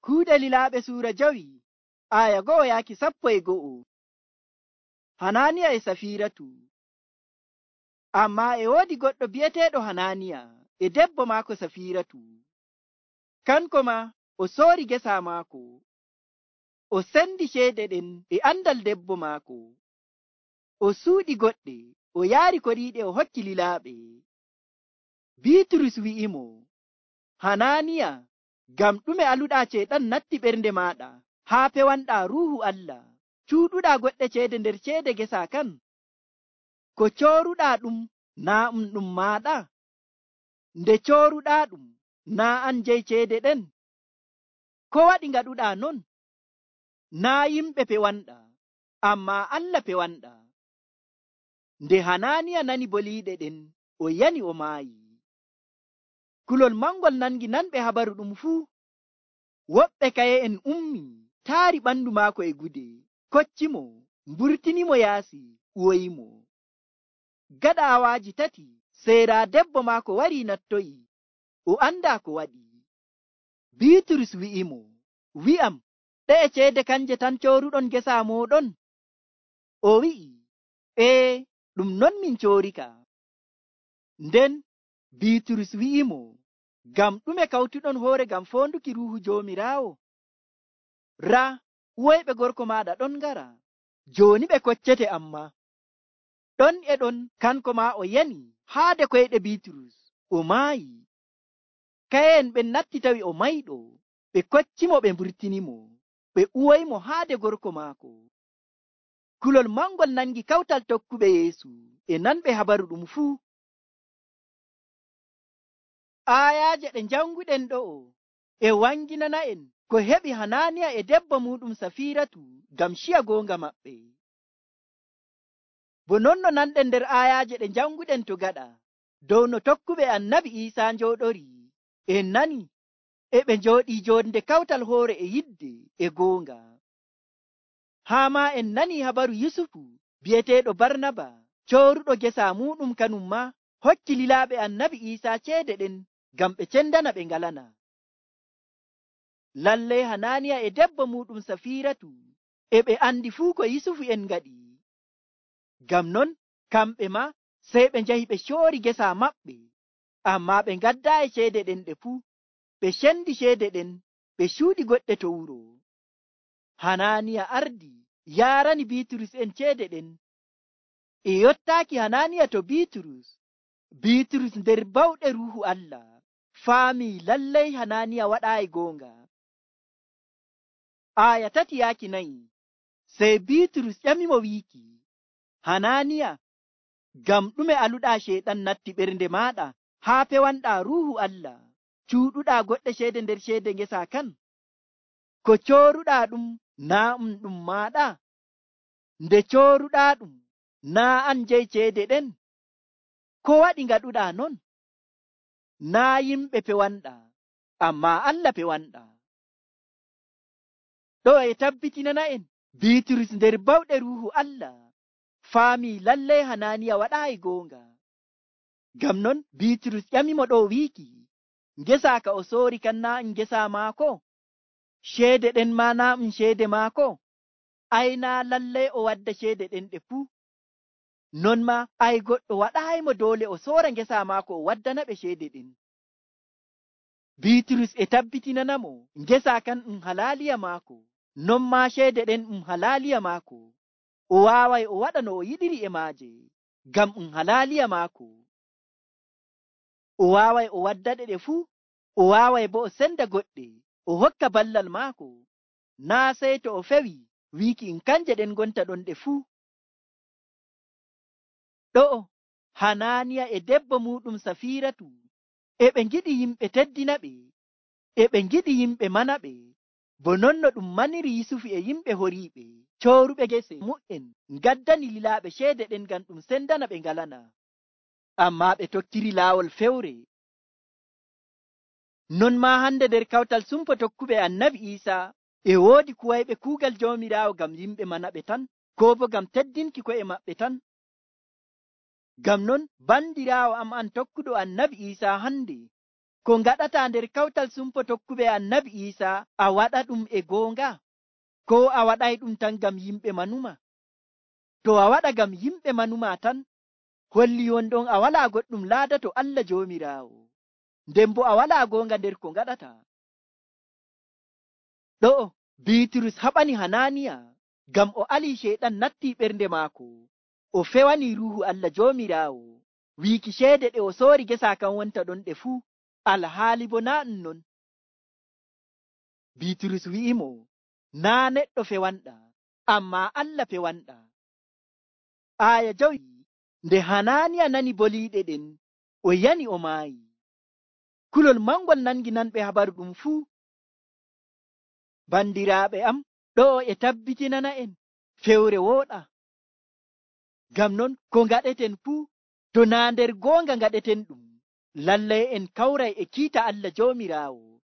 Kuuɗe Lilaaɓe suura 5 aya 1 yaaki 11. Hananiya e Safiiratu. Ammaa e woodi goɗɗo bi'eteeɗo Hananiya e debbo maako Safiiratu. Kanko maa o soori gesa maako, o sendi ceede ɗen e andal debbo maako, o suuɗi goɗɗe, o yaari koriiɗe o hokki lilaaɓe. Biiturus wi'imo, Hananiya, ngam ɗume aluɗaa ceeɗan natti ɓernde maaɗa haa pewanɗaa Ruuhu Allah, cuuɗuɗaa goɗɗe ceede nder ceede gesa kan? Ko cooruɗaa ɗum naa ɗum maaɗa? Nde cooruɗaa ɗum naa an jeyi ceede ɗen? Ko waɗi ngaɗuɗaa non? Naa yimɓe pewanɗaa, ammaa Allah pewanɗaa. Nde Hananiya nani boliiɗe ɗen, o yani o maayi. Kulol mangol nangi nanɓe habaru ɗum fuu. Woɓɓe kaye'en ummi, taari ɓandu maako e gude, koccimo, mburtinimo yaasi, uwoyimo. Gaɗa awaaji 3, seera debbo maako warii nattoyi, o andaa ko waɗi. Biiturus wi'imo, wi'am, ɗe'e ceede kanje tan cooruɗon gesa mooɗon? O wi'i, ɗum non min coorika. Nden Biiturus wi'imo, ngam ɗume kawtuɗon hoore ngam foonduki Ruuhu Joomiraawo? Raa, uwoyɓe gorko maaɗa ɗon ngara, jooni ɓe koccete ammaa. Ɗon e ɗon kanko maa o yani haade koyɗe Biiturus, o maayi. Kaye'en ɓen natti tawi o mayɗo, ɓe koccimo, ɓe mburtinimo, ɓe uwoymo haade gorko maako. Kulol mangol nangi kawtal tokkuɓe Yeesu e nanɓe habaru ɗum fuu. Aayaaje ɗe janguɗen ɗo'o e wanginana'en ko heɓi Hananiya e debbo muɗum Safiiratu ngam ciya goonga maɓɓe. Bo non no nanɗen nder aayaaje ɗe janguɗen to gaɗa dow no tokkuɓe Annabi Iisaa njooɗori, en nani e ɓe njooɗii jonde kawtal hoore e yidde e goonga. Haa maa en nani habaru Yusufu bi'eteeɗo Barnaba, cooruɗo gesa muɗum kanum maa hokki lilaaɓe Annabi Iisaa ceede ɗen ngam ɓe cendana ɓe ngalana. Lallai Hananiya e debbo muɗum Safiiratu e ɓe andi fuu ko Yusufu en ngaɗi. Ngam non kamɓe maa sey ɓe njahi ɓe coori gesa maɓɓe, ammaa ɓe ngaddaayi ceede ɗen ɗe fuu. Ɓe cendi ceede ɗen, ɓe cuuɗi goɗɗe to wuro. Hananiya ardi yaarani Biiturus en ceede ɗen. E yottaaki Hananiya to Biiturus, Biiturus nder bawɗe Ruuhu Allah faamii lallai Hananiya waɗaayi goonga. Aya 3 yaaki 4. Sey Biiturus ƴamimo wiiki, Hananiya, ngam ɗume aluɗaa ceeɗan natti ɓernde maaɗa haa pewanɗaa Ruuhu Allah, cuuɗuɗaa goɗɗe ceede nder ceede ngesa kan? Ko cooruɗaa ɗum naa ɗum maaɗa? Nde cooruɗaa ɗum naa an jeyi ceede ɗen? Ko waɗi ngaɗuɗaa non? Naa yimɓe pewanɗaa, ammaa Allah pewanɗaa. Ɗo e tabbitinana'en Biiturus nder bawɗe Ruuhu Allah faamii lallai Hananiya waɗaayi goonga. Ngam non Biiturus ƴamimo ɗo wiiki, ngesa ka o soori kan naa ngesa maako? Ceede ɗen maa naa ceede maako? Ai naa lallai o wadda ceede ɗen ɗe fuu. Non maa ai goɗɗo waɗaayimo doole o soora ngesa maako o waddana ɓe ceede ɗen. Biiturus e tabbitinanamo ngesa kan halaaliya maako, non maa ceede ɗen halaaliya maako. O waaway o waɗa no o yiɗiri e maaje, ngam halaaliya maako. O waaway o waddaɗe ɗe fuu, o waaway bo o senda goɗɗe o hokka ballal maako, naa sey to o fewi wiiki kanje ɗen gonta ɗon ɗe fuu. Ɗo'o Hananiya e debbo muɗum Safiiratu e ɓe ngiɗi yimɓe teddina ɓe, e ɓe ngiɗi yimɓe mana ɓe, bo non no ɗum maniri Yusufu e yimɓe horiiɓe cooruɓe gese mu'en ngaddani lilaaɓe ceede ɗen ngam ɗum sendana ɓe ngalana. Ammaa ɓe tokkiri laawol fewre. Non maa hande nder kawtal sumpo tokkuɓe Annabi Iisaa e woodi kuwayɓe kuugal Joomiraawo ngam yimɓe mana ɓe tan, koo bo ngam teddinki ko'e maɓɓe tan. Ngam non bandiraawo am an tokkuɗo Annabi Iisaa hande, ko ngaɗata nder kawtal sumpo tokkuɓe annabi Isa a waɗa ɗum e goonga, ko a waɗay ɗum tan ngam yimɓe manuma? To a waɗa ngam yimɓe manuma tan, holli wonɗon a walaa goɗɗum laada to Allah Joomiraawo, nden bo a walaa goonga nder ko ngaɗata. Ɗo'o Biiturus haɓani Hananiya ngam o alii Ceyɗan nattii ɓernde maako, o fewanii Ruuhu Allah Joomiraawo wiiki ceede ɗe o soori gesa kan wonta ɗon ɗe fuu, alhaali bo naa ɗum non. Biiturus wi'imo, naa neɗɗo fewanɗa, ammaa Allah fewanɗa. Aaya 5. Nde Hananiya nani boliiɗe ɗen, o yani o maayi. Kulol mangol nangi nanɓe habaru ɗum fuu. Bandiraaɓe am, ɗo'o e tabbitinana en fewre wooɗa. Ngam non ko ngaɗeten fuu, to naa nder goonga ngaɗeten ɗum, lallay en kawray e kiita Allah Joomiraawo.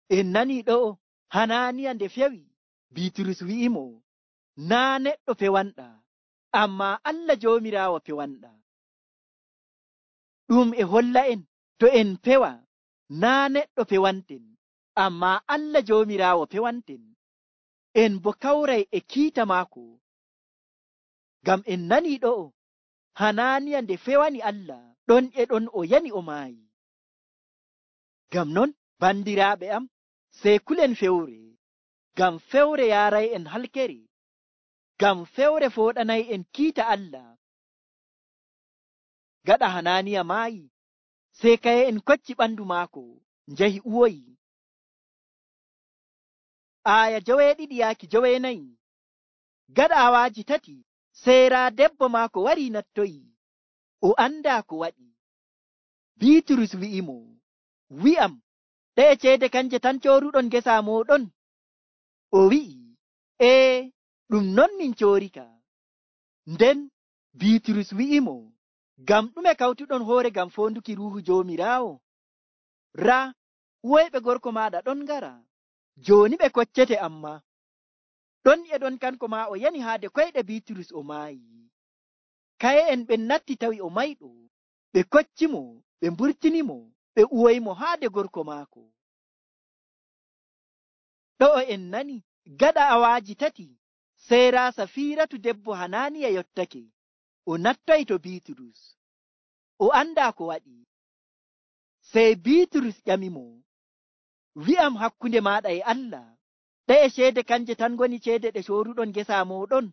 En nani ɗo'o Hananiya nde fewi, Biiturus wi'imo, naa neɗɗo fewanɗa, ammaa Allah Joomiraawo fewanɗa. Ɗum e holla en to en fewa, naa neɗɗo fewanten, ammaa Allah Joomiraawo fewanten, en bo kawray e kiita maako. Ngam en nani ɗo'o Hananiya nde fewani Allah, ɗon e ɗon o yani o maayi. Ngam non bandiraaɓe am, sey kulen fewre, ngam fewre yaaray en halkere, ngam fewre fooɗanay en kiita Allah. Gaɗa Hananiya maayi, sey kaye en kocci ɓandu maako njahi uwoyi. Aaya 7-9. Gaɗa awaaji 3, seera debbo maako wari nattoyi, o anda ko waɗi. Biiturus wi'imo, wi'am, ɗe ceede kanje tan cooruɗon gesa mooɗon? O wi'i, ɗum non min coorika. Nden Biiturus wi'imo, ngam ɗume kawtuɗon hoore ngam foonduki Ruuhu Joomiraawo? Raa, uwoyɓe gorko maaɗa ɗon ngara, jooni ɓe koccete amma. Ɗon e ɗon kanko maa o yani haade koyɗe Biiturus o maayi. Kaye en ɓen natti tawi o mayɗo, ɓe koccimo, ɓe mburtinimo, ɓe uwoymo haade gorko maako. Ɗo'o en nani gaɗa awaaji 3, seera Safiiratu debbo Hananiya yottake, o nattoy to Biiturus, o anda ko waɗi. Sey Biiturus ƴamimo, wi'am hakkunde maaɗa e Allah, ɗe ceede kanje tan ngoni ceede ɗe cooruɗon gesa mooɗon?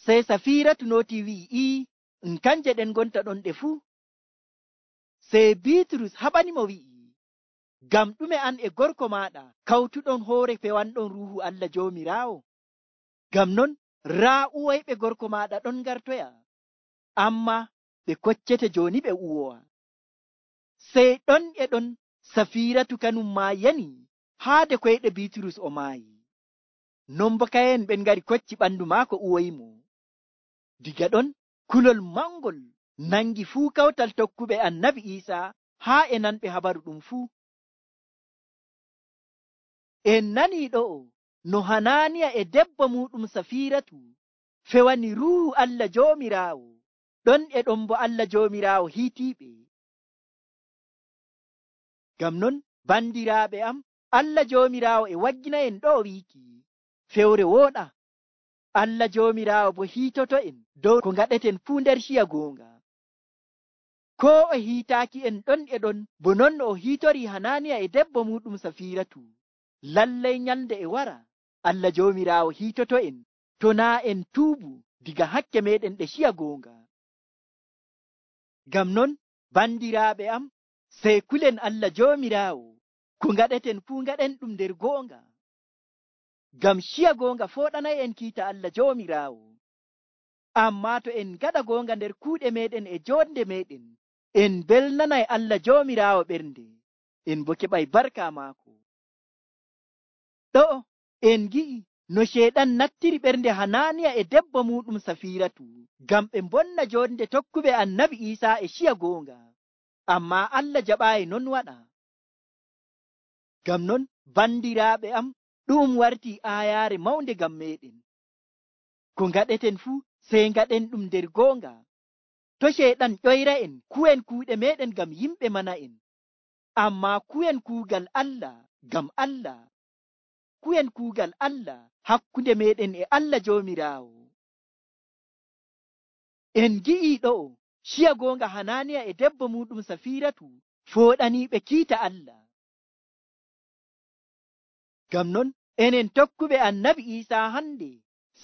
Sey Safiiratu nooti wi'i, kanje ɗen ngonta ɗon ɗe fuu. Sey Biiturus haɓanimo wi'i, ngam ɗume an e gorko maaɗa kawtuɗon hoore fewanɗon Ruuhu Allah Joomiraawo? Ngam non raa uwoyɓe gorko maaɗa ɗon ngartoya, amma ɓe koccete jooni ɓe uwowa. Sey ɗon e ɗon Safiiratu kanum maa yani haade koyɗe Biiturus o maayi. Non bo kayen ɓen ngari kocci ɓandu maako uwoymo. Diga ɗon kulol mangol nangi fuu kawtal tokkuɓe annabi Iisa haa e nanɓe habaru ɗum fuu. En nani ɗo'o no Hananiya e debbo muɗum Safiiratu fewani Ruuhu Allah Joomiraawo, ɗon e ɗon bo Allah Joomiraawo hiitiiɓe. Ngam non bandiraaɓe am, Allah Joomiraawo e waggina en ɗo wiiki fewre wooɗa. Allah Joomiraawo bo hiitoto en dow ko ngaɗeten fuu nder ciya goonga. Ko o hiitaaki en ɗon e ɗon bo non o hiitori Hananiya e debbo muɗum Safiiratu, lallay nyalde e wara Allah Joomiraawo hiitoto en to naa en tuubu diga hakke meɗen ɗe ciya goonga. Ngam non bandiraaɓe am, sey kulen Allah Joomiraawo, ko ngaɗeten fuu ngaɗen ɗum nder goonga, ngam ciya goonga fooɗanay en kiita Allah Joomiraawo. Ammaa to en ngaɗa goonga nder kuuɗe meɗen e jonde meɗen, en belnanay Allah Joomiraawo ɓernde, en bo keɓay barka maako. Ɗo'o en gi'i no Ceyɗan nattiri ɓernde Hananiya e debbo muɗum Safiiratu ngam ɓe bonna jonde tokkuɓe annabi Iisa e ciya goonga, ammaa Allah jaɓaayi non waɗa. Ngam non bandiraaɓe am, ɗum warti aayaare mawnde ngam meɗen. Ko ngaɗeten fuu sey ngaɗen ɗum nder goonga, to Ceyɗan ƴoyra'en kuwen kuuɗe meɗen ngam yimɓe mana'en, ammaa kuwen kuugal Allah ngam Allah, kuwen kuugal Allah hakkunde meɗen e Allah Joomiraawo. En gi'ii ɗo'o ciya goonga Hananiya e debbo muɗum Safiratu fooɗaniiɓe kiita Allah. Ngam non enen tokkuɓe Annabi Iisaa hande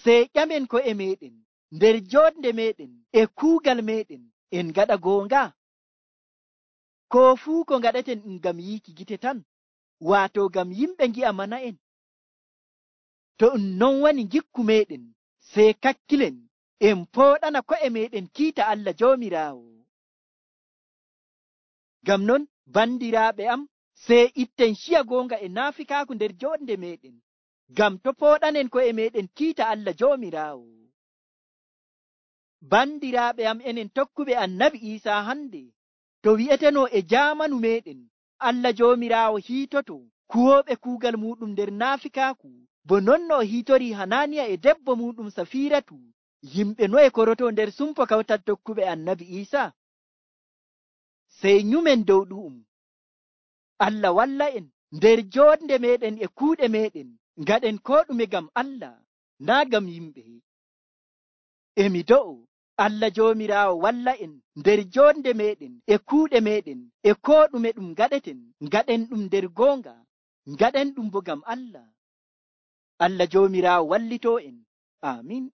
sey ƴamen ko'e meɗen nder joɗnde meɗen e kuugal meɗen en ngaɗa goonga. Koo fuu ko ngaɗaten ngam yiiki gite tan, waato ngam yimɓe ngi'a mana'en. To non woni ngikku meɗen sey kakkilen en pooɗana ko'e meɗen kiita Allah Joomiraawo. Ngam non bandiraaɓe am, sey itten ciya goonga e naafikaaku nder joɗnde meɗen, ngam to pooɗanen ko'e meɗen kiita Allah Joomiraawo. Bandiraaɓe am, enen tokkuɓe Annabi Iisaa hande, to wi'eteno e jaamanu meɗen Allah Joomiraawo hiitoto kuwooɓe kuugal muɗum nder naafikaaku, bo non no o hiitori Hananiya e debbo muɗum Safiratu, yimɓe noye koroto nder sumpo kawtal tokkuɓe Annabi Iisaa? Sey nyumen dow ɗu'um. Allah walla en nder joɗnde meɗen e kuuɗe meɗen, ngaɗen ko ɗume ngam Allah, naa ngam yimɓe. Emi do'o Allah Joomiraawo walla en nder joɗnde meɗen e kuuɗe meɗen e ko ɗume ɗum ngaɗeten, ngaɗen ɗum nder goonga, ngaɗen ɗum bo ngam Allah. Allah Joomiraawo wallito en. Amin.